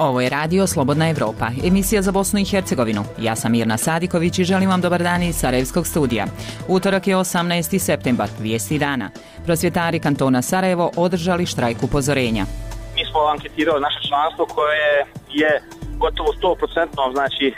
Ovo je radio Slobodna Evropa, emisija za Bosnu i Hercegovinu. Ja sam Mirna Sadiković i želim vam dobar dan iz Sarajevskog studija. Utorak je 18. septembar, vijesti dana. Prosvjetari kantona Sarajevo održali štrajk upozorenja. Mi smo anketirali naše članstvo koje je gotovo 100%, znači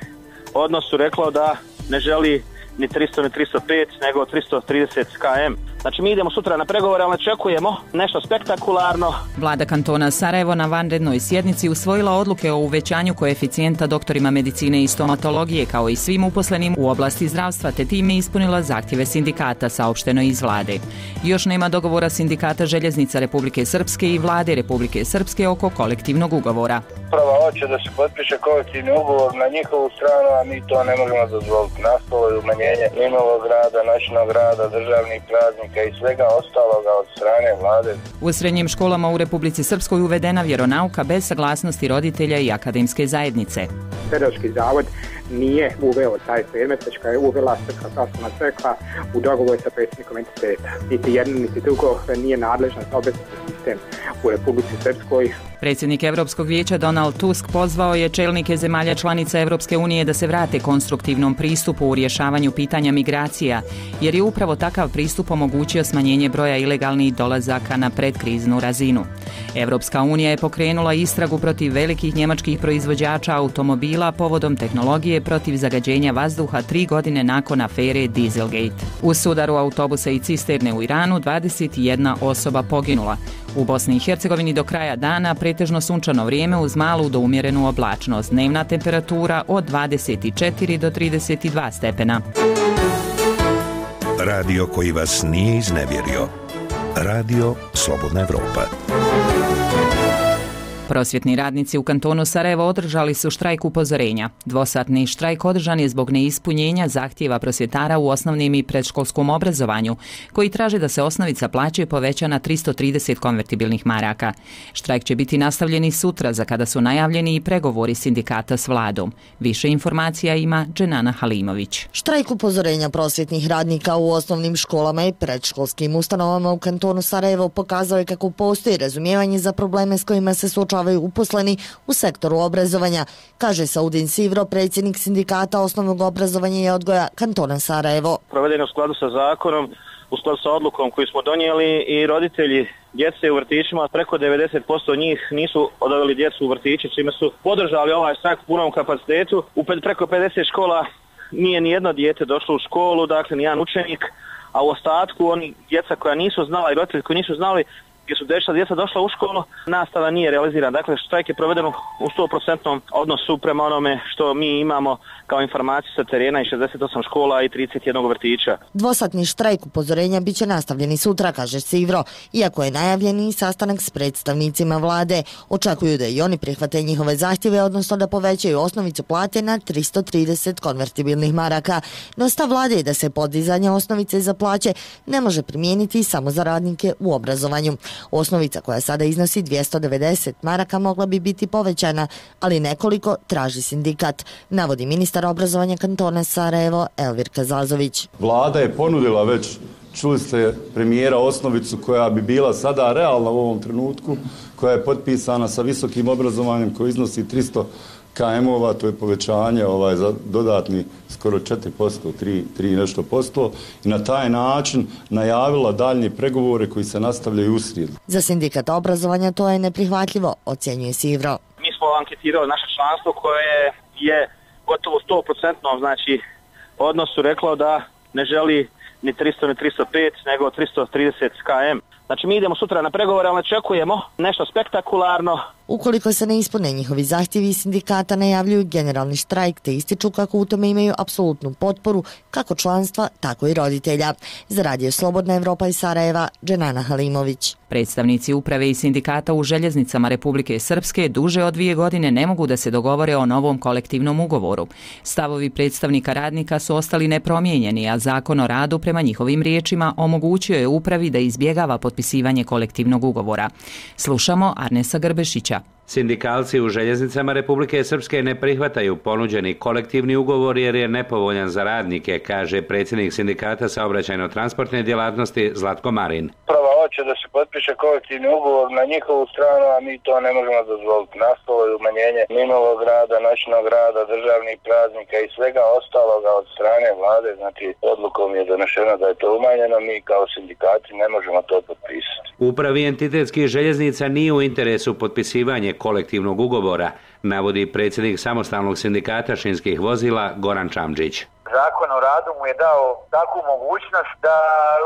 odnosu reklo da ne želi ni 300 ni 305 nego 330 km. Znači mi idemo sutra na pregovore, ali očekujemo nešto spektakularno. Vlada kantona Sarajevo na vanrednoj sjednici usvojila odluke o uvećanju koeficijenta doktorima medicine i stomatologije kao i svim uposlenim u oblasti zdravstva, te time ispunila zahtjeve sindikata, saopšteno iz vlade. Još nema dogovora sindikata Željeznica Republike Srpske i vlade Republike Srpske oko kolektivnog ugovora. Prva hoće da se potpiše kolektivni ugovor na njihovu stranu, a mi to ne možemo dozvoliti. Nastalo je umanjenje minulog rada, noćnog rada, državnih praznika i svega ostaloga od strane vlade. U srednjim školama u Republici Srpskoj uvedena vjeronauka bez saglasnosti roditelja i akademske zajednice. Pedagoški zavod nije uveo taj predmet, već ga je uvela Srpska pravoslavna crkva u dogovoru sa predsjednikom entiteta. Niti jedno, niti drugo nije nadležna za obrazovni sistem u Republici Srpskoj. Predsjednik Europskog vijeća Donald Tusk pozvao je čelnike zemalja članica Europske unije da se vrate konstruktivnom pristupu u rješavanju pitanja migracija, jer je upravo takav pristup omogućio smanjenje broja ilegalnih dolazaka na predkriznu razinu. Europska unija je pokrenula istragu protiv velikih njemačkih proizvođača automobila povodom tehnologije protiv zagađenja vazduha 3 godine nakon afere Dieselgate. U sudaru autobusa i cisterne u Iranu 21 osoba poginula. U Bosni i Hercegovini do kraja dana pretežno sunčano vrijeme uz malu do umjerenu oblačnost. Dnevna temperatura od 24 do 32 stepena. Radio koji vas nije iznevjerio. Radio Slobodna Evropa. Prosvjetni radnici u kantonu Sarajevo održali su štrajk upozorenja. Dvosatni štrajk održan je zbog neispunjenja zahtjeva prosvjetara u osnovnim i predškolskom obrazovanju, koji traže da se osnovica plaće poveća na 330 konvertibilnih maraka. Štrajk će biti nastavljen i sutra, za kada su najavljeni i pregovori sindikata s vladom. Više informacija ima Dženana Halimović. Štrajk upozorenja prosvjetnih radnika u osnovnim školama i predškolskim ustanovama u kantonu Sarajevo pokazao je kako postoji razumijevanje za probleme s kojima se suočavaju uposleni u sektoru obrazovanja, kaže Saudin Sivro, predsjednik sindikata osnovnog obrazovanja i odgoja kantona Sarajevo. Provedeno u skladu sa zakonom, u skladu sa odlukom koju smo donijeli i roditelji djece u vrtićima, preko 90% njih nisu odaveli djecu u vrtiće, čime su podržali ovaj štrajk u punom kapacitetu. U preko 50 škola nije ni jedno dijete došlo u školu, dakle ni jedan učenik, a u ostatku oni djeca koja nisu znala i roditelji koji nisu znali gdje su djeca došla u školu, nastava nije realizirana. Dakle, štrajk je proveden u 100% odnosu prema onome što mi imamo kao informaciju sa terena i 68 škola i 31 vrtića. Dvosatni štrajk upozorenja bit će nastavljeni sutra, kaže Sivro. Iako je najavljeni sastanak s predstavnicima vlade, očekuju da i oni prihvate njihove zahtjeve, odnosno da povećaju osnovicu plate na 330 konvertibilnih maraka. No stav vlade je da se podizanje osnovice za plaće ne može primijeniti samo za radnike u obrazovanju. Osnovica koja sada iznosi 290 maraka mogla bi biti povećana, ali nekoliko traži sindikat, navodi ministar obrazovanja kantona Sarajevo Elvir Kazazović. Vlada je ponudila već, čuli ste premijera, osnovicu koja bi bila sada realna u ovom trenutku, koja je potpisana sa visokim obrazovanjem koji iznosi 300 KM-ova, to je povećanje za dodatni skoro 4%, 3 nešto posto, i na taj način najavila daljnje pregovore koji se nastavljaju u srijedu. Za sindikat obrazovanja to je neprihvatljivo, ocjenjuje Sivro. Mi smo anketirali naše članstvo koje je gotovo 100%, znači odnosu reklo da ne želi ni 300 ni 305 nego 330 km. Znači mi idemo sutra na pregovore, ali očekujemo nešto spektakularno. Ukoliko se ne ispune njihovi zahtjevi, sindikata najavljuju generalni štrajk, te ističu kako u tome imaju apsolutnu potporu kako članstva, tako i roditelja. Za Radio Slobodna Evropa iz Sarajeva, Dženana Halimović. Predstavnici uprave i sindikata u Željeznicama Republike Srpske duže od 2 godine ne mogu da se dogovore o novom kolektivnom ugovoru. Stavovi predstavnika radnika su ostali nepromijenjeni, a zakon o radu prema njihovim riječima omogućio je upravi da izbjegava potpisivanje kolektivnog ugovora. Slušamo Arnesa Grbešića. Sindikalci u Željeznicama Republike Srpske ne prihvataju ponuđeni kolektivni ugovor jer je nepovoljan za radnike, kaže predsjednik sindikata saobraćajno-transportne djelatnosti Zlatko Marin. Prva hoće da se potpiše kolektivni ugovor na njihovu stranu, a mi to ne možemo dozvoliti. Nastalo je umanjenje minulog rada, noćnog rada, državnih praznika i svega ostaloga od strane vlade, znači odlukom je donešeno da je to umanjeno, mi kao sindikati ne možemo to potpisati. Upravi entitetskih željeznica nije u interesu potpisivanje kolektivnog ugovora, navodi predsjednik samostalnog sindikata šinskih vozila Goran Čamđić. Zakon o radu mu je dao takvu mogućnost da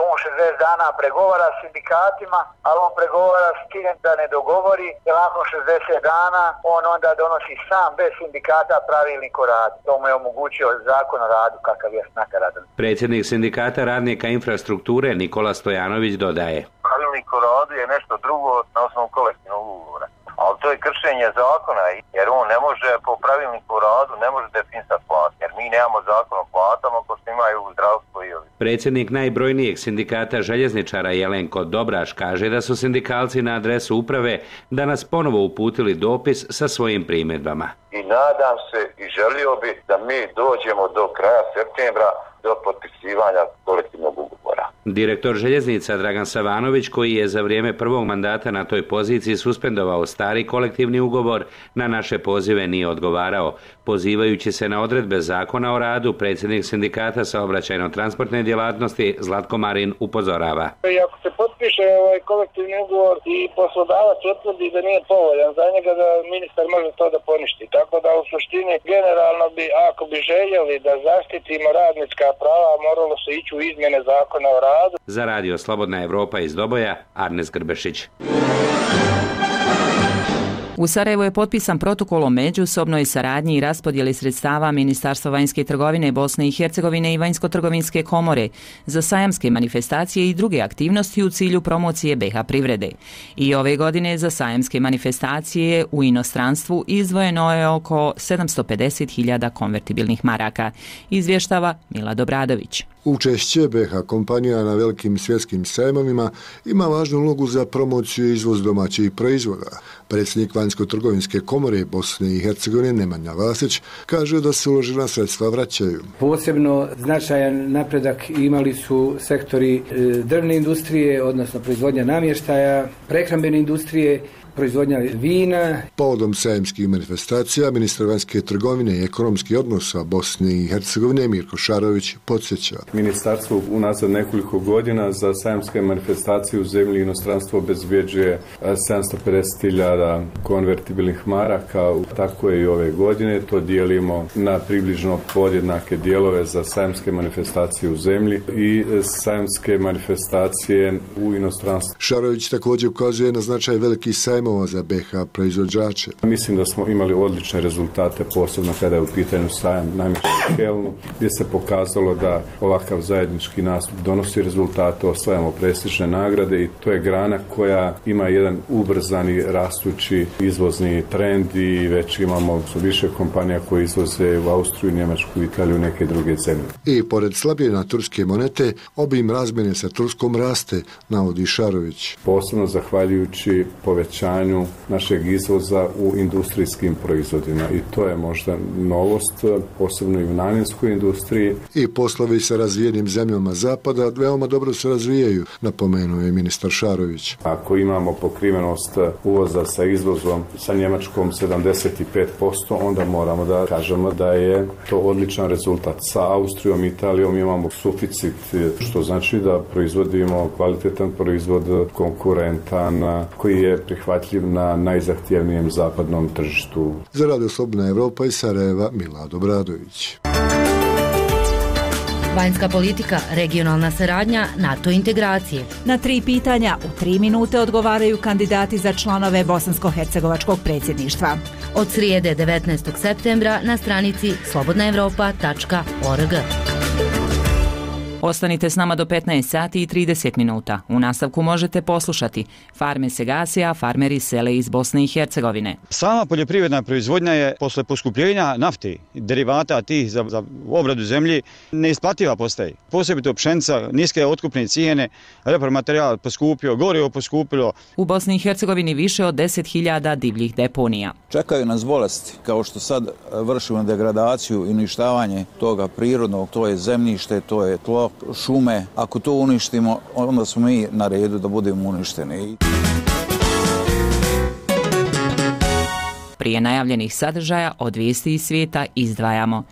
on 60 dana pregovara s sindikatima, ali on pregovara s tim da ne dogovori, jer nakon 60 dana on onda donosi sam bez sindikata pravilnik o radu. To mu je omogućio Zakon o radu kakav je nakaradan. Predsjednik sindikata radnika infrastrukture Nikola Stojanović dodaje. Pravilnik o radu je nešto drugo na osnovu kolektivnog ugovora. Ali to je kršenje zakona, jer on ne može po pravilniku o radu, ne može definisati platu, jer mi nemamo zakon o platama ko što imaju u zdravstvu i ovi. Predsjednik najbrojnijeg sindikata željezničara Jelenko Dobraš kaže da su sindikalci na adresu uprave danas ponovo uputili dopis sa svojim primjedbama. I nadam se i želio bi da mi dođemo do kraja septembra do potpisivanja kolektivnog ugovora. Direktor željeznica Dragan Savanović, koji je za vrijeme prvog mandata na toj poziciji suspendovao stari kolektivni ugovor, na naše pozive nije odgovarao. Pozivajući se na odredbe Zakona o radu, predsjednik sindikata saobraćajno-transportne djelatnosti Zlatko Marin upozorava. I ako se potpiše ovaj kolektivni ugovor i poslodavac utvrdi da nije povoljan za njega, da ministar može to da poništi. Tako da u suštini generalno bi, ako bi željeli da zaštitimo radnička prava, moralo se ići u izmjene Zakona o radu. Za radio Slobodna Evropa iz Doboja, Arnes Grbešić. U Sarajevu je potpisan protokol o međusobnoj saradnji i raspodjeli sredstava Ministarstva vanjske trgovine Bosne i Hercegovine i Vanjsko-trgovinske komore za sajamske manifestacije i druge aktivnosti u cilju promocije BiH privrede. I ove godine za sajamske manifestacije u inostranstvu izdvojeno je oko 750.000 konvertibilnih maraka, izvještava Milad Obradović. Učešće BiH kompanija na velikim svjetskim sajmovima ima važnu ulogu za promociju i izvoz domaćih proizvoda. Predsjednik Vanjsko-trgovinske komore Bosne i Hercegovine Nemanja Vasić kaže da se uložena sredstva vraćaju. Posebno značajan napredak imali su sektori drvne industrije, odnosno proizvodnja namještaja, prehrambene industrije, proizvodnja vina. Povodom sajamskih manifestacija ministar vanjske trgovine i ekonomskih odnosa Bosne i Hercegovine Mirko Šarović podsjeća. Ministarstvo unazad nekoliko godina za sajamske manifestacije u zemlji i inostranstvo obezbjeđuje 750.000 konvertibilnih maraka. Tako je i ove godine. To dijelimo na približno podjednake dijelove za sajamske manifestacije u zemlji i sajamske manifestacije u inostranstvu. Šarović također ukazuje na značaj velikih sajmova za BiH proizvođače. Mislim da smo imali odlične rezultate, posebno kada je u pitanju sajam namještaja u Kelnu, gdje se pokazalo da ovakav zajednički nastup donosi rezultate, osvajamo prestižne nagrade i to je grana koja ima jedan ubrzani rastući izvozni trend i već imamo više kompanija koje izvoze u Austriju, Njemačku, Italiju i neke druge zemlje. I pored slabijena turske monete, obim razmjene sa Turskom raste, navodi Šarović. Posebno zahvaljujući povećanju našeg izvoza u industrijskim proizvodima i to je možda novost, posebno i u namjenskoj industriji. I poslovi sa razvijenim zemljama zapada veoma dobro se razvijaju, napomenuo je ministar Šarović. Ako imamo pokrivenost uvoza sa izvozom sa Njemačkom 75%, onda moramo da kažemo da je to odličan rezultat. Sa Austrijom i Italijom imamo suficit, što znači da proizvodimo kvalitetan proizvod, konkurentan, koji je prihvatljiv na najzahtjevnijem zapadnom tržištu. Za radio Slobodna Evropa iz Sarajeva, Milad Obradović. Vanjska politika, regionalna saradnja, NATO integracije. Na 3 pitanja u 3 minute odgovaraju kandidati za članove bosansko-hercegovačkog predsjedništva. Od srijede 19. septembra na stranici slobodnaevropa.org. Ostanite s nama do 15 sati i 30 minuta. U nastavku možete poslušati Farme se gase, a farmeri sele iz Bosne i Hercegovine. Sama poljoprivredna proizvodnja je posle poskupljenja nafte, derivata tih za obradu zemlji, neisplativa postaje. Posebito pšenica, niske otkupne cijene, repromaterijal poskupio, gorivo poskupilo. U Bosni i Hercegovini više od 10.000 divljih deponija. Čekaju nas bolesti, kao što sad vršimo degradaciju i uništavanje toga prirodnog, to je zemljište, to je tlo, drvo, šume. Ako to uništimo, onda smo mi na redu da budemo uništeni. Prije najavljenih sadržaja od vijesti iz svijeta izdvajamo.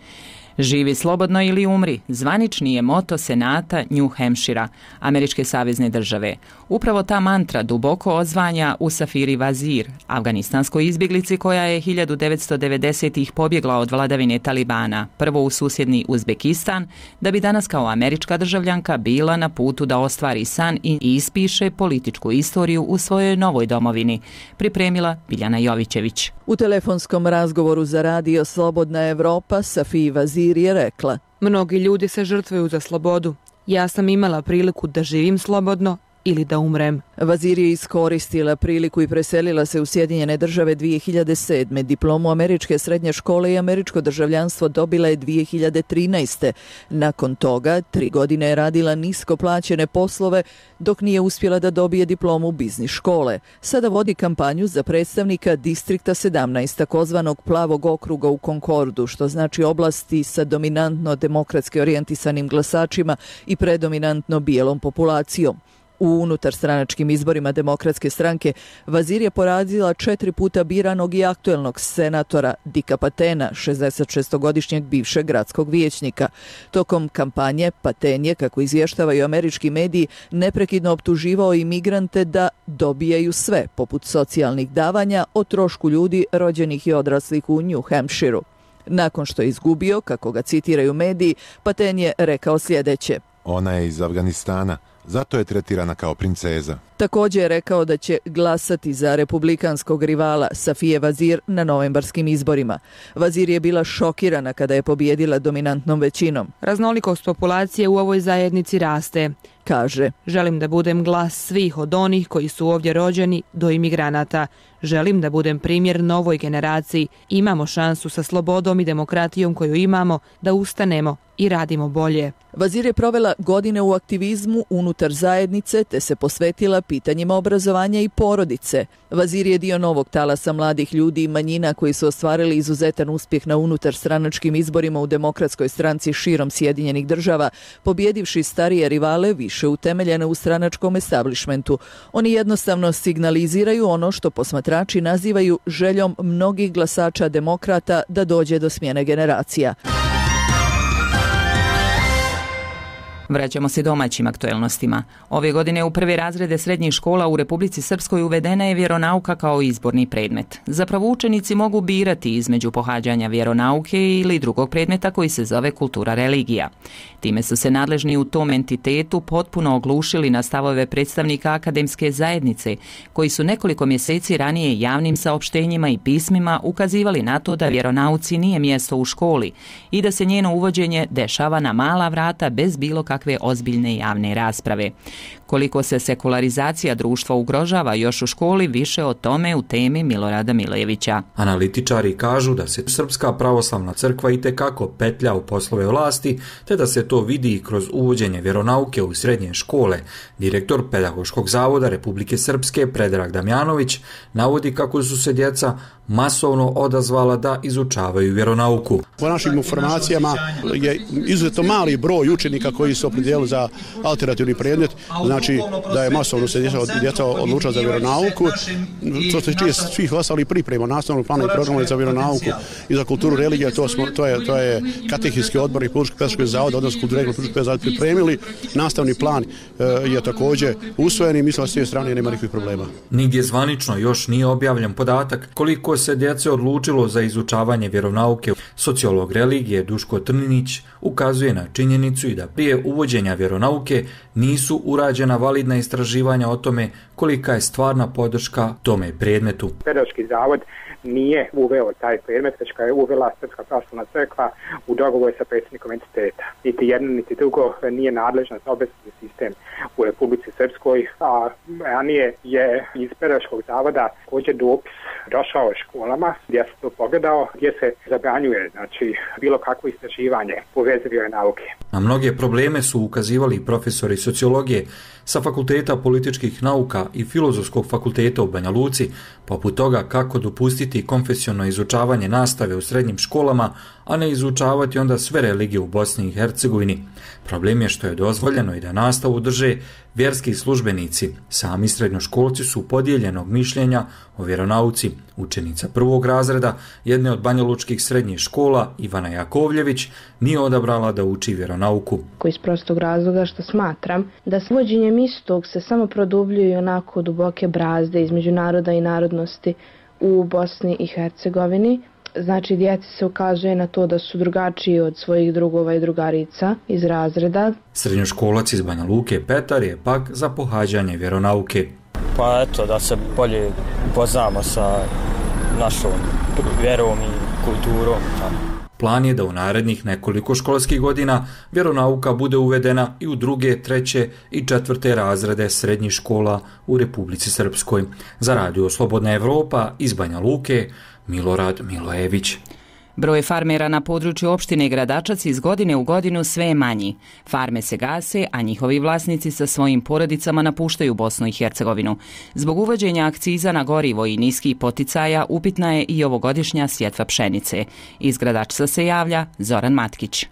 Živi slobodno ili umri, zvanični je moto Senata New Hampshira, američke savezne države. Upravo ta mantra duboko odzvanja u Safiri Vazir, afganistanskoj izbjeglici koja je 1990-ih pobjegla od vladavine Talibana, prvo u susjedni Uzbekistan, da bi danas kao američka državljanka bila na putu da ostvari san i ispiše političku istoriju u svojoj novoj domovini, pripremila Biljana Jovićević. U telefonskom razgovoru za radio Slobodna Evropa Safiri Vazir je rekla: mnogi ljudi se žrtvuju za slobodu. Ja sam imala priliku da živim slobodno ili da umrem. Vazir je iskoristila priliku i preselila se u Sjedinjene Države 2007. Diplomu američke srednje škole i američko državljanstvo dobila je 2013. Nakon toga 3 godine je radila nisko plaćene poslove dok nije uspjela da dobije diplomu biznis škole. Sada vodi kampanju za predstavnika distrikta 17, takozvanog plavog okruga u Concordu, što znači oblasti sa dominantno demokratski orijentisanim glasačima i predominantno bijelom populacijom. U unutarstranačkim izborima Demokratske stranke Vazir je porazila 4 puta biranog i aktuelnog senatora Dika Patena, 66-godišnjeg bivšeg gradskog vijećnika. Tokom kampanje Paten je, kako izvještavaju američki mediji, neprekidno optuživao imigrante da dobijaju sve, poput socijalnih davanja, o trošku ljudi rođenih i odraslih u New Hampshireu. Nakon što je izgubio, kako ga citiraju mediji, Paten je rekao sljedeće: ona je iz Afganistana, zato je tretirana kao princeza. Također je rekao da će glasati za republikanskog rivala Safije Vazir na novembarskim izborima. Vazir je bila šokirana kada je pobijedila dominantnom većinom. Raznolikost populacije u ovoj zajednici raste. Kaže: želim da budem glas svih, od onih koji su ovdje rođeni do imigranata. Želim da budem primjer novoj generaciji. Imamo šansu sa slobodom i demokratijom koju imamo da ustanemo i radimo bolje. Vazir je provela godine u aktivizmu unutar zajednice te se posvetila pitanjima obrazovanja i porodice. Vazir je dio novog talasa mladih ljudi i manjina koji su ostvarili izuzetan uspjeh na unutarstranačkim izborima u Demokratskoj stranci širom Sjedinjenih Država, pobjedivši starije rivale više utemeljene u stranačkom establishmentu. Oni jednostavno signaliziraju ono što posmatrači nazivaju željom mnogih glasača demokrata da dođe do smjene generacija. Vraćamo se domaćim aktuelnostima. Ove godine u prve razrede srednjih škola u Republici Srpskoj uvedena je vjeronauka kao izborni predmet. Zapravo učenici mogu birati između pohađanja vjeronauke ili drugog predmeta koji se zove kultura religija. Time su se nadležni u tom entitetu potpuno oglušili na stavove predstavnika akademske zajednice, koji su nekoliko mjeseci ranije javnim saopštenjima i pismima ukazivali na to da vjeronauci nije mjesto u školi i da se njeno uvođenje dešava na mala vrata bez bilo kakve ozbiljne javne rasprave. Koliko se sekularizacija društva ugrožava još u školi, više o tome u temi Milorada Milejevića. Analitičari kažu da se Srpska pravoslavna crkva itekako petlja u poslove vlasti, te da se to vidi i kroz uvođenje vjeronauke u srednje škole. Direktor Pedagoškog zavoda Republike Srpske Predrag Damjanović navodi kako su se djeca masovno odazvala da izučavaju vjeronauku. Po našim informacijama je izuzetno mali broj učenika koji su opredijelili za alternativni predmet, znači da je masovno se djeca odlučila za vjeronauku. Što se tiče svih ostalih priprema, nastavnog plana i programa za vjeronauku i za kulturu religije, to je katehijski odbor i Politički pedagoški zavod, odnosno kulturu religije Politički pedagoški zavod pripremili. Nastavni plan je također usvojen i mislim da s te strane nema nikakvih problema. Nigdje zvanično još nije objavljen podatak koliko se djece odlučilo za izučavanje vjeronauke. Sociolog religije Duško Trninić ukazuje na činjenicu i da prije uvođenja vjeronauke nisu urađena validna istraživanja o tome kolika je stvarna podrška tome predmetu. Pedagoški zavod nije uveo taj predmet, već ga je uvela Srpska pravoslavna crkva u dogovoru sa predsjednikom entiteta. Niti jedno, niti drugo nije nadležan za obrazovni sistem u Republici Srpskoj, a ranije je iz pedagoškog zavoda također dopis došao školama gdje se to pogledao, gdje se zabranjuje bilo kakvo istraživanje u vezi vjeronauke. Na mnoge probleme su ukazivali profesori sociologije sa Fakulteta političkih nauka i Filozofskog fakulteta u Banja Luci, poput toga kako dopustiti konfesionalno izučavanje nastave u srednjim školama, a ne izučavati onda sve religije u Bosni i Hercegovini. Problem je što je dozvoljeno i da nastavu drže vjerski službenici. Sami srednjoškolci su podijeljenog mišljenja o vjeronauci. Učenica prvog razreda jedne od banjalučkih srednjih škola, Ivana Jakovljević, nije odabrala da uči vjeronauku. Iz prostog razloga što smatram da s uvođenjem istog se samo produbljuju onako duboke brazde između naroda i narodnosti u Bosni i Hercegovini. Znači, djeci se ukazuje na to da su drugačiji od svojih drugova i drugarica iz razreda. Srednjoškolac iz Banja Luke Petar je pak za pohađanje vjeronauke. Pa eto, da se bolje upoznamo sa našom vjerom i kulturom. Plan je da u narednih nekoliko školskih godina vjeronauka bude uvedena i u 2., 3. i 4. razrede srednjih škola u Republici Srpskoj. Za Radio Slobodna Evropa iz Banja Luke, Milorad Milojević. Broj farmera na području opštine Gradačac iz godine u godinu sve je manji. Farme se gase, a njihovi vlasnici sa svojim porodicama napuštaju Bosnu i Hercegovinu. Zbog uvođenja akciza na gorivo i niskih poticaja upitna je i ovogodišnja sjetva pšenice. Iz Gradačca se javlja Zoran Matkić.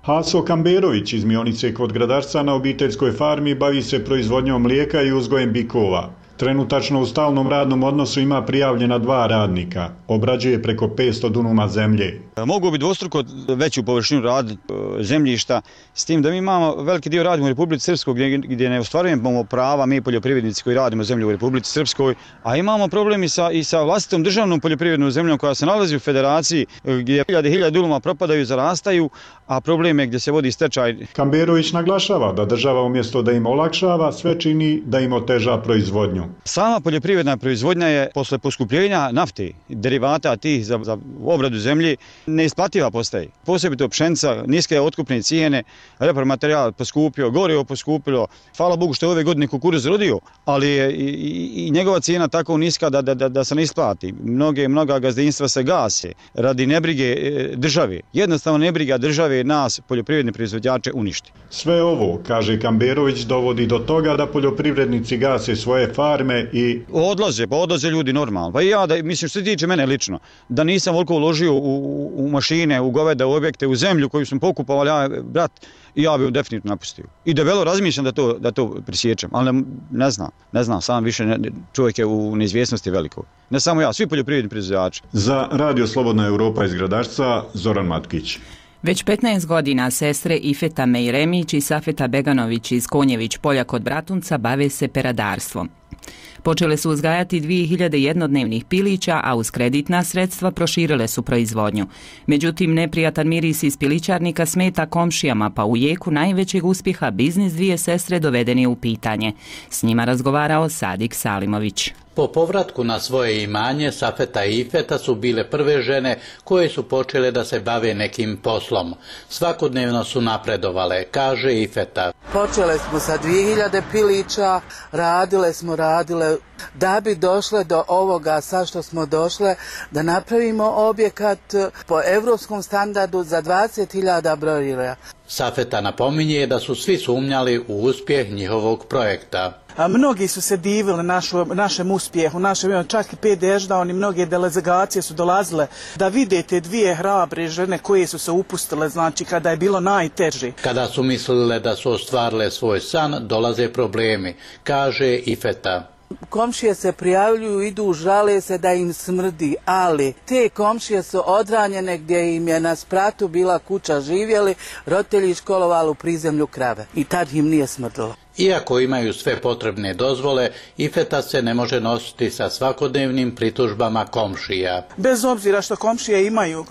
Haso Kamberović iz Mionice kod Gradačca na obiteljskoj farmi bavi se proizvodnjom mlijeka i uzgojem bikova. Trenutačno u stalnom radnom odnosu ima prijavljena 2 radnika. Obrađuje preko 500 dunuma zemlje. Mogu bi dvostruko veću površinu raditi zemljišta, s tim da mi imamo veliki dio radimo u Republici Srpskoj gdje ne ostvarujemo prava mi poljoprivrednici koji radimo zemlju u Republici Srpskoj, a imamo problem i sa vlastitom državnom poljoprivrednom zemljom koja se nalazi u federaciji gdje hiljade dunuma propadaju, zarastaju, a problem je gdje se vodi stečaj. Kamberović naglašava da država umjesto da im olakšava sve čini da im oteža proizvodnju. Sama poljoprivredna proizvodnja je posle poskupljenja nafte, derivata tih za obradu zemlje, neisplativa postaje. Posebno pšenica, niske otkupne cijene, repromaterijal poskupio, gorivo poskupilo. Hvala Bogu što je ove godine kukuruz rodio, ali je i njegova cijena tako niska da se ne isplati. Mnoga gazdinstva se gase radi nebrige države. Jednostavno nebriga države nas, poljoprivredne proizvođače, uništi. Sve ovo, kaže Kamberović, dovodi do toga da poljoprivrednici gase svoje farme i odlaze ljudi normalno. Pa i ja, mislim, što se tiče mene lično, da nisam voliko uložio u mašine, u goveda, u objekte, u zemlju koju sam pokupovali, brat, i ja bih definitivno napustio. I debelo razmišljam da to prisjećam, ali ne znam, sam više čovjek je u neizvjesnosti veliko. Ne samo ja, svi poljoprivredni proizvođači. Za Radio Slobodna Europa iz Gradačca, Zoran Matkić. Već 15 godina sestre Ifeta Mejremić i Safeta Beganović iz Konjević polja kod Bratunca bave se peradarstvom. Počele su uzgajati 2000 jednodnevnih pilića, a uz kreditna sredstva proširile su proizvodnju. Međutim, neprijatan miris iz pilićarnika smeta komšijama, pa u jeku najvećeg uspjeha biznis dvije sestre doveden je u pitanje. S njima razgovarao Sadik Salimović. Po povratku na svoje imanje, Safeta i Ifeta su bile prve žene koje su počele da se bave nekim poslom. Svakodnevno su napredovale, kaže Ifeta. Počele smo sa 2000 pilića, radile da bi došle do ovoga sad što smo došle, da napravimo objekat po evropskom standardu za 20.000 brojila. Safeta napominje da su svi sumnjali u uspjeh njihovog projekta. Mnogi su se divili našem uspjehu, čak i PDŠ da oni mnoge delegacije su dolazile da vide te dvije hrabre žene koje su se upustile, znači kada je bilo najteže. Kada su mislile da su ostvarile svoj san, dolaze problemi, kaže Ifeta. Komšije se prijavljuju, idu, žale se da im smrdi, ali te komšije su odranjene gdje im je na spratu bila kuća živjeli, roditelji školovali u prizemlju krave i tad im nije smrdilo. Iako imaju sve potrebne dozvole, Ifeta se ne može nositi sa svakodnevnim pritužbama komšija. Bez obzira što komšije imaju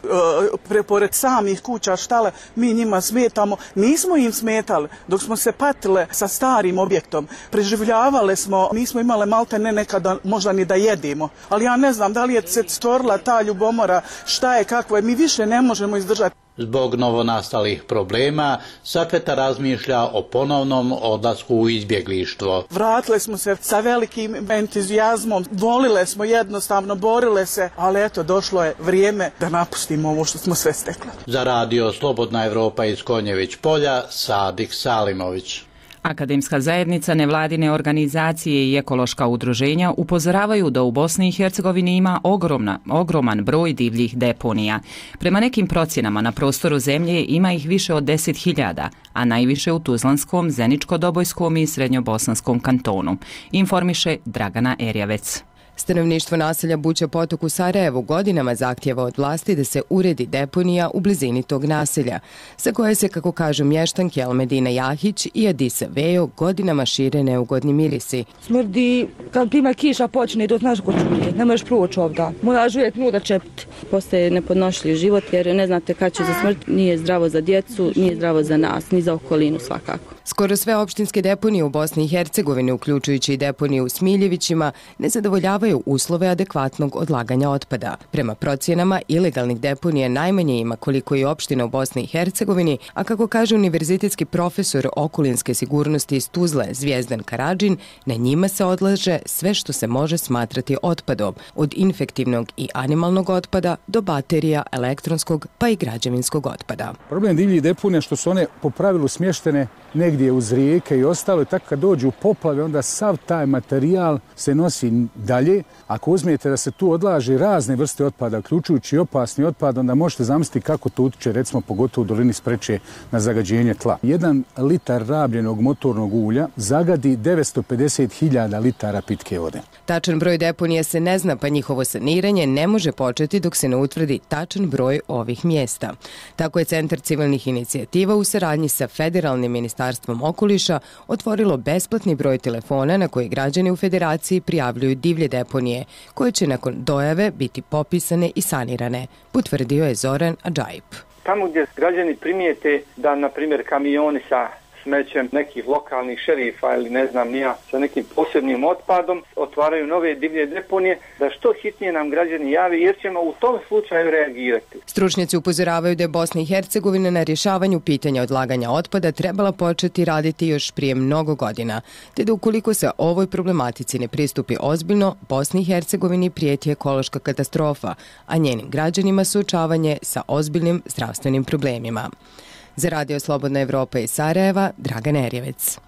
pored samih kuća štale, mi njima smetamo. Nismo im smetali dok smo se patile sa starim objektom. Preživljavale smo, nismo imale malte ne nekada možda ni da jedimo. Ali ja ne znam da li je se stvorila ta ljubomora, šta je, kako je, mi više ne možemo izdržati. Zbog novonastalih problema, Safeta razmišlja o ponovnom odlasku u izbjeglištvo. Vratile smo se sa velikim entuzijazmom, volile smo jednostavno, borile se, ali eto, došlo je vrijeme da napustimo ovo što smo sve stekli. Za Radio Slobodna Evropa iz Konjević polja, Sadik Salimović. Akademska zajednica, nevladine organizacije i ekološka udruženja upozoravaju da u Bosni i Hercegovini ima ogroman broj divljih deponija. Prema nekim procjenama na prostoru zemlje ima ih više od 10.000, a najviše u Tuzlanskom, Zeničko-Dobojskom i Srednjobosanskom kantonu, informiše Dragana Erjavec. Stanovništvo naselja Buća Potok u Sarajevu godinama zahtjeva od vlasti da se uredi deponija u blizini tog naselja, sa koje se, kako kažu mještanke Almedina Jahić i Adisa Vejo, godinama šire neugodni mirisi. Smrdi, kad prima kiša počne, to znaš ko čuje, ne možeš proći ovdje, moraš uvijek nuda čepiti. Postaje nepodnošljiv život jer ne znate kad će za smrt, nije zdravo za djecu, nije zdravo za nas, ni za okolinu svakako. Skoro sve opštinske deponije u Bosni i Hercegovini, uključujući i deponiju u Smiljevićima, ne zadovoljavaju uslove adekvatnog odlaganja otpada. Prema procjenama, ilegalnih deponija najmanje ima koliko i opština u Bosni i Hercegovini, a kako kaže univerzitetski profesor okolinske sigurnosti iz Tuzle Zvijezdan Karadžin, na njima se odlaže sve što se može smatrati otpadom, od infektivnog i animalnog otpada do baterija, elektronskog pa i građevinskog otpada. Problem divljih deponija što su one po pravilu smještene negdje uz rijeke i ostalo, tako kad dođu poplave, onda sav taj materijal se nosi dalje. Ako uzmijete da se tu odlaže razne vrste otpada, uključujući opasni otpad, onda možete zamisliti kako to utiče, recimo pogotovo u dolini Spreče, na zagađenje tla. 1 litar rabljenog motornog ulja zagadi 950.000 litara pitke vode. Tačan broj deponija se ne zna, pa njihovo saniranje ne može početi dok se ne utvrdi tačan broj ovih mjesta. Tako je Centar civilnih inicijativa u saradnji sa Federalnim ministarstvom okoliša otvorilo besplatni broj telefona na koji građani u Federaciji prijavljuju divlje deponije, koje će nakon dojave biti popisane i sanirane, potvrdio je Zoran Adžajip. Tamo gdje građani primijete da, na primjer, kamioni sa smećem nekih lokalnih šerifa ili ne znam nija sa nekim posebnim otpadom otvaraju nove divlje deponije, da što hitnije nam građani javi jer ćemo u tom slučaju reagirati. Stručnjaci upozoravaju da je Bosna i Hercegovina na rješavanju pitanja odlaganja otpada trebala početi raditi još prije mnogo godina, te da ukoliko se ovoj problematici ne pristupi ozbiljno, Bosni i Hercegovini prijeti ekološka katastrofa, a njenim građanima suočavanje sa ozbiljnim zdravstvenim problemima. Za Radio Slobodna Evropa iz Sarajeva, Dragan Erjevec.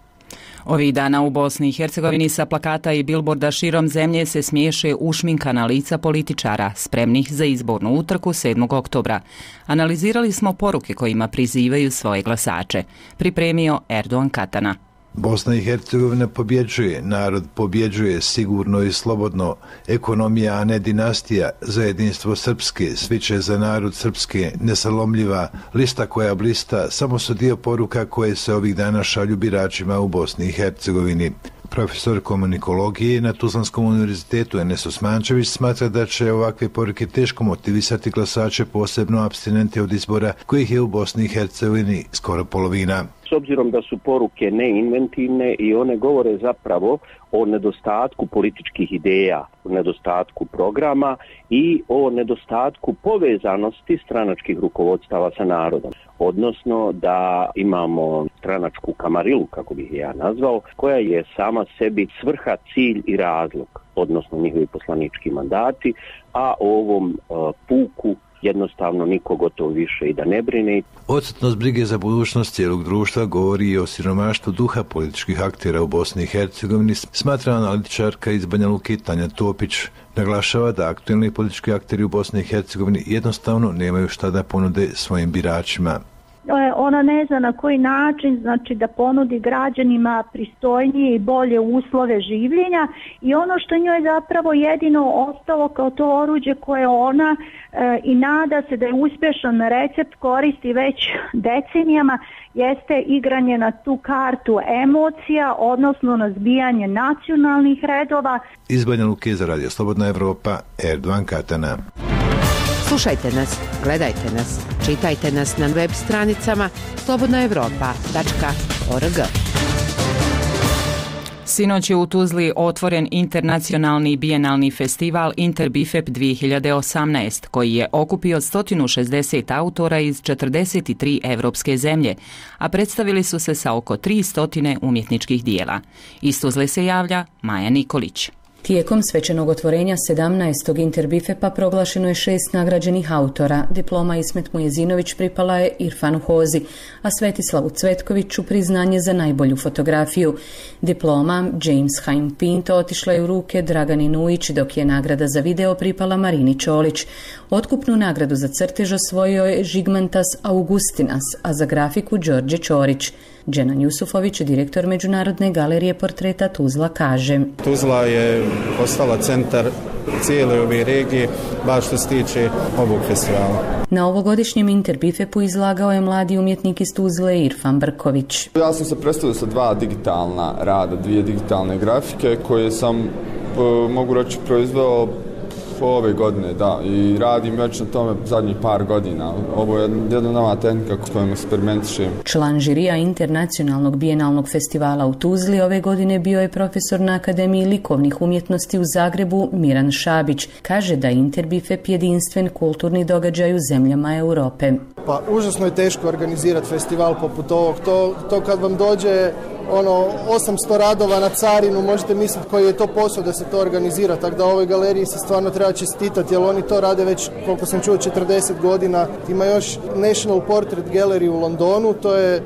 Ovih dana u Bosni i Hercegovini sa plakata i bilborda širom zemlje se smiješe ušminkana lica političara, spremnih za izbornu utrku 7. oktobra. Analizirali smo poruke kojima prizivaju svoje glasače. Pripremio Erdogan Katana. Bosna i Hercegovina pobjeđuje, narod pobjeđuje sigurno i slobodno, ekonomija, a ne dinastija, za jedinstvo srpske, svi će za narod srpske, nesalomljiva, lista koja blista, samo su dio poruka koje se ovih dana šalju biračima u Bosni i Hercegovini. Profesor komunikologije na Tuzlanskom univerzitetu Enes Osmančević smatra da će ovakve poruke teško motivisati glasače, posebno apstinente od izbora kojih je u Bosni i Hercegovini skoro polovina. S obzirom da su poruke neinventivne i one govore zapravo o nedostatku političkih ideja, o nedostatku programa i o nedostatku povezanosti stranačkih rukovodstava sa narodom. Odnosno da imamo stranačku kamarilu, kako bih ja nazvao, koja je sama sebi svrha, cilj i razlog, odnosno njihovi poslanički mandati, a o ovom puku jednostavno niko gotovo više i da ne brine. Odsutnost brige za budućnost cijelog društva govori i o siromaštvu duha političkih aktera u Bosni i Hercegovini, smatra analitičarka iz Banja Luke Tanja Topić. Naglašava da aktualni politički akteri u Bosni i Hercegovini jednostavno nemaju šta da ponude svojim biračima. Ona ne zna na koji način, znači da ponudi građanima pristojnije i bolje uslove življenja i ono što njoj zapravo jedino ostalo kao to oruđe koje ona i nada se da je uspješan recept koristi već decenijama jeste igranje na tu kartu emocija, odnosno na zbijanje nacionalnih redova. Iz Banja Luke za Radio Slobodna Evropa, Erdogan Katana. Slušajte nas, gledajte nas, čitajte nas na web stranicama slobodnaevropa.org. Sinoć je u Tuzli otvoren internacionalni bijenalni festival Interbifep 2018, koji je okupio 160 autora iz 43 evropske zemlje, a predstavili su se sa oko 300 umjetničkih dijela. Iz Tuzle se javlja Maja Nikolić. Tijekom svečanog otvorenja 17. Interbifepa proglašeno je 6 nagrađenih autora. Diploma Ismet Mujezinović pripala je Irfanu Hozi, a Svetislavu Cvetkoviću priznanje za najbolju fotografiju. Diploma James Haim Pinto otišla je u ruke Dragani Nujić, dok je nagrada za video pripala Marini Čolić. Otkupnu nagradu za crtež osvojio je Žigmantas Augustinas, a za grafiku Đorđe Ćorić. Dženan Jusufović, direktor Međunarodne galerije portreta Tuzla, kaže: Tuzla je postala centar cijele ove regije, baš što se tiče ovog festivala. Na ovogodišnjem Interbifepu izlagao je mladi umjetnik iz Tuzle Irfan Brković. Ja sam se predstavio sa 2 digitalna rada, 2 digitalne grafike koje sam, mogu reći, proizveo ove godine, da, i radim već na tome zadnjih par godina. Ovo je jedna nova tehnika kojom eksperimentišem. Član žirija Internacionalnog bijenalnog festivala u Tuzli ove godine bio je profesor na Akademiji likovnih umjetnosti u Zagrebu Miran Šabić. Kaže da je Interbifep jedinstven kulturni događaj u zemljama Europe. Pa užasno je teško organizirati festival poput ovog. To kad vam dođe 800 radova na carinu, možete misliti koji je to posao da se to organizira, tako da ovoj galeriji se stvarno treba čestitati, jer oni to rade već, koliko sam čuo, 40 godina. Ima još National Portrait Gallery u Londonu, to je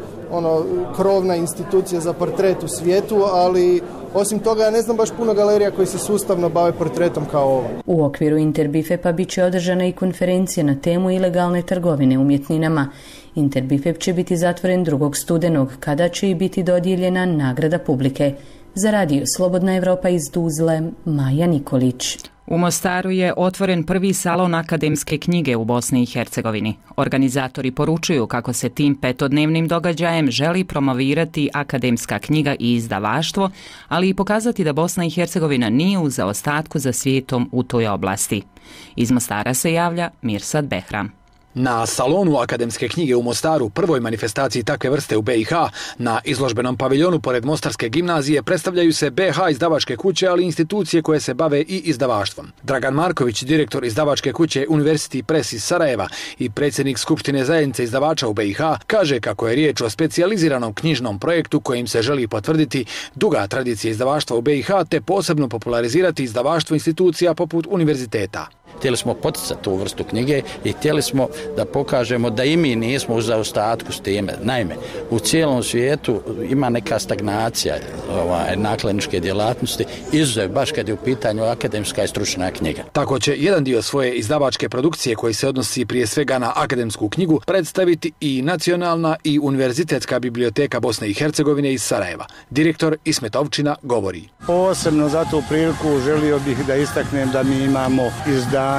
krovna institucija za portret u svijetu, ali osim toga ja ne znam baš puno galerija koji se sustavno bave portretom kao ovo. U okviru Interbifepa bit će održana i konferencija na temu ilegalne trgovine umjetninama. Interbifep će biti zatvoren 2. studenog, kada će i biti dodijeljena nagrada publike. Za radio Slobodna Evropa iz Tuzle, Maja Nikolić. U Mostaru je otvoren prvi salon akademske knjige u Bosni i Hercegovini. Organizatori poručuju kako se tim 5-dnevnim događajem želi promovirati akademska knjiga i izdavaštvo, ali i pokazati da Bosna i Hercegovina nije u zaostatku za svijetom u toj oblasti. Iz Mostara se javlja Mirsad Behram. Na salonu akademske knjige u Mostaru, prvoj manifestaciji takve vrste u BiH, na izložbenom paviljonu pored Mostarske gimnazije predstavljaju se BiH izdavačke kuće, ali i institucije koje se bave i izdavaštvom. Dragan Marković, direktor izdavačke kuće University Press iz Sarajeva i predsjednik Skupštine zajednice izdavača u BiH, kaže kako je riječ o specijaliziranom knjižnom projektu kojim se želi potvrditi duga tradicija izdavaštva u BiH te posebno popularizirati izdavaštvo institucija poput univerziteta. Htjeli smo poticati tu vrstu knjige i htjeli smo da pokažemo da i mi nismo u zaostatku s time. Naime, u cijelom svijetu ima neka stagnacija nakladničke djelatnosti, izuzev baš kad je u pitanju akademska i stručna knjiga. Tako će jedan dio svoje izdavačke produkcije koji se odnosi prije svega na akademsku knjigu predstaviti i Nacionalna i Univerzitetska biblioteka Bosne i Hercegovine iz Sarajeva. Direktor Ismet Ovčina govori. Posebno za tu priliku želio bih da istaknem da mi imamo izdanja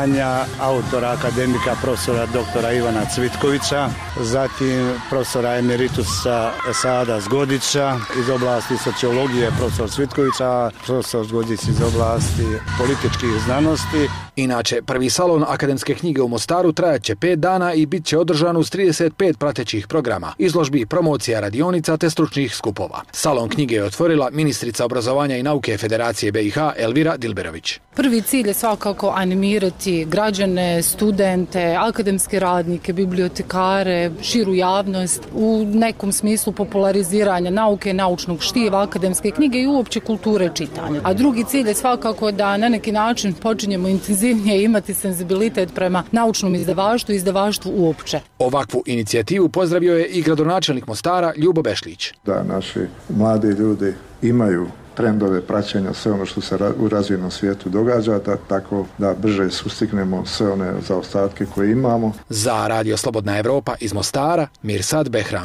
autora akademika profesora doktora Ivana Cvitkovića, zatim profesora emeritusa Sada Zgodića iz oblasti sociologije profesor Cvitkovića, profesor Zgodić iz oblasti političkih znanosti. Inače, prvi salon akademske knjige u Mostaru trajaće 5 dana i bit će održan uz 35 pratećih programa, izložbi, promocija radionica te stručnih skupova. Salon knjige je otvorila ministrica obrazovanja i nauke Federacije BiH Elvira Dilberović. Prvi cilj je svakako animirati građane, studente, akademske radnike, bibliotekare, širu javnost u nekom smislu populariziranja nauke, naučnog štiva, akademske knjige i uopće kulture čitanja. A drugi cilj je svakako da na neki način počinjemo intenzivnije imati senzibilitet prema naučnom izdavaštvu i izdavaštvu uopće. Ovakvu inicijativu pozdravio je i gradonačelnik Mostara Ljubo Bešlić. Da naši mladi ljudi imaju trendove praćenja, sve ono što se u razvijenom svijetu događa, tako da brže sustignemo sve one zaostatke koje imamo. Za Radio Slobodna Evropa iz Mostara, Mirsad Behram.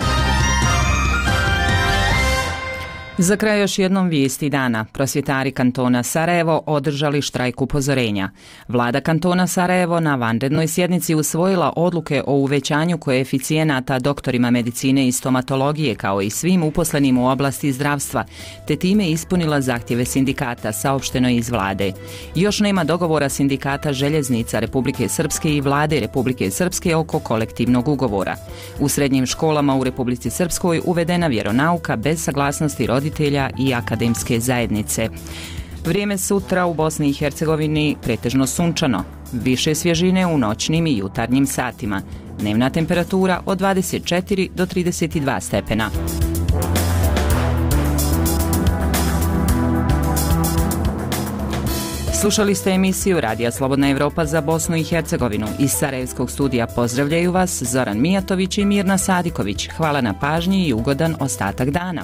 Za kraj još jednom vijesti dana. Prosvjetari kantona Sarajevo održali štrajk upozorenja. Vlada kantona Sarajevo na vanrednoj sjednici usvojila odluke o uvećanju koeficijenata doktorima medicine i stomatologije kao i svim uposlenim u oblasti zdravstva, te time ispunila zahtjeve sindikata, saopšteno iz vlade. Još nema dogovora sindikata željeznica Republike Srpske i vlade Republike Srpske oko kolektivnog ugovora. U srednjim školama u Republici Srpskoj uvedena vjeronauka bez saglasnosti roditelja i akademske zajednice. Vrijeme sutra u Bosni i Hercegovini pretežno sunčano, više svježine u noćnim i jutarnjim satima. Dnevna temperatura od 24 do 32 stepena. Slušali ste emisiju Radija Slobodna Evropa za Bosnu i Hercegovinu. Iz Sarajevskog studija pozdravljaju vas Zoran Mijatović i Mirna Sadiković. Hvala na pažnji i ugodan ostatak dana.